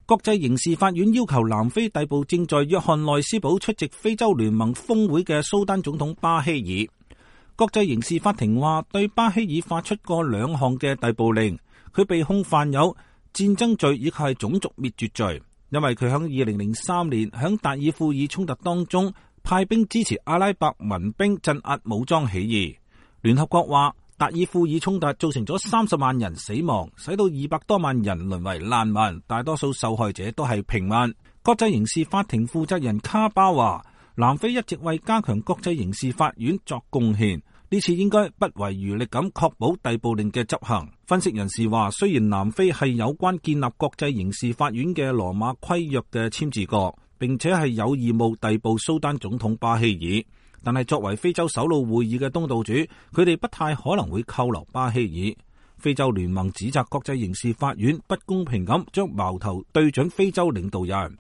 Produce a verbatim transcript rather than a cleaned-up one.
國際刑事法院要求南非逮捕正在約翰內斯堡出席非洲聯盟峰會嘅蘇丹總統巴希爾。國際刑事法庭話對巴希爾發出過兩項嘅逮捕令，佢被控犯有戰爭罪以及係種族滅絕罪，因為佢響二零零三年響達爾富爾衝突當中派兵支持阿拉伯民兵鎮壓武裝起義。聯合國話達爾富爾衝突造成咗三十萬人死亡，使到二百多萬人淪為難民，大多數受害者都係平民。國際刑事法庭負責人卡巴話，南非一直為加強國際刑事法院作貢獻，呢次應該不遺餘力咁確保逮捕令嘅執行。分析人士話，雖然南非係有關建立國際刑事法院嘅羅馬規約嘅簽字國，並且係有義務逮捕蘇丹總統巴希爾，但係作為非洲首腦會議嘅東道主，佢哋不太可能會扣留巴希爾。非洲聯盟指責國際刑事法院不公平咁將矛頭對準非洲領導人。